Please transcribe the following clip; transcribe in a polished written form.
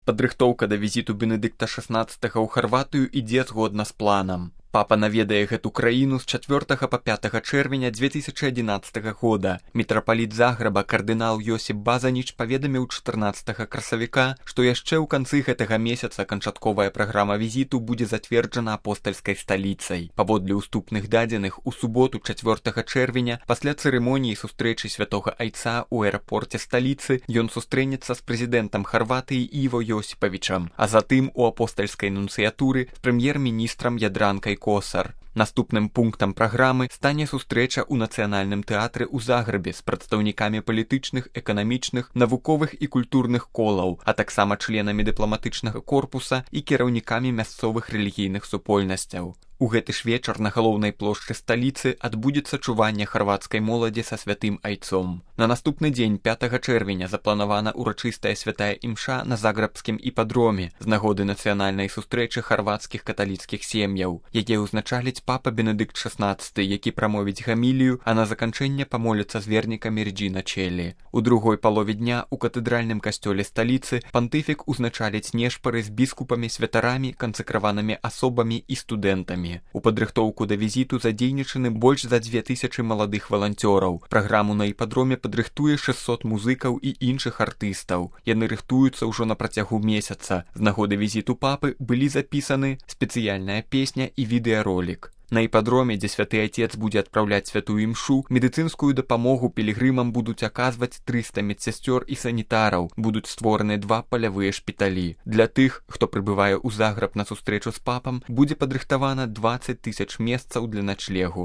Падрыхтоўка да візіту Бенедыкта XVI ў Харватыю ідзе згодна з планам. Папа наведае гэту краіну з 4 па 5 чэрвеня 2011 года. Мітрапаліт Загрэба кардынал Йосіп Базаніч паведаміў 14 красавіка, што яшчэ ў канцы гэтага месяца канчатковая праграма візіту будзе зацверджана апостальскай сталіцай. Паводле ўступных дадзеных, у суботу 4 чэрвеня пасля цырымоніі сустрэчы святога айца ў аэрапорце сталіцы ён сустрэнецца з прэзідэнтам Харватыі Іво Йосіпавічам, а затым у апостальскай нунцыятуры з прэм'ер-міністрам Ядранкай Косар. Наступным пунктам праграмы стане сустрэча ў нацыянальным тэатры ў Загрэбе з прадстаўнікамі палітычных, эканамічных, навуковых і культурных колаў, а таксама членамі дыпламатычнага корпуса і кіраўнікамі мясцовых рэлігійных супольнасцяў. У гэты ж вечар на галоўнай плошчы сталіцы адбудзецца чуванне харвацкай моладзі са святым айцом. На наступны дзень 5 чэрвеня запланавана урачыстая святая імша на загрэбскім іпадроме з нагоды нацыянальнай сустрэчы харвацкіх каталіцкіх сем'яў, яе ўзначаліць папа Бенедыкт XVI, які прамовіць гамілію, а на заканчэнне памоліцца з вернікамі Реджіна Челлі. У другой палове дня у катэдральным касцёле сталіцы пантыфік узначаліць нешпары з біскупамі, святарамі, кансакраванымі асобамі і студэнтамі. У падрыхтоўку да візіту задзейнічаны больш за 2000 маладых валанцёраў. Праграму на іпадроме падрыхтуе 600 музыкаў і іншых артыстаў. Яны рыхтуюцца ўжо на працягу месяца. З нагоды візіту папы былі запісаны спецыяльная песня і відэаролік. На іпадроме, дзе святы айцец будзе адпраўляць святую імшу, медыцынскую дапамогу пілігрымам будуць аказваць 300 медсясцёр і санітараў, будуць створаны 2 палявыя шпіталі. Для тых, хто прыбывае ў Загрэб на сустрэчу з папам, будзе падрыхтавана 20 000 месцаў для начлегу.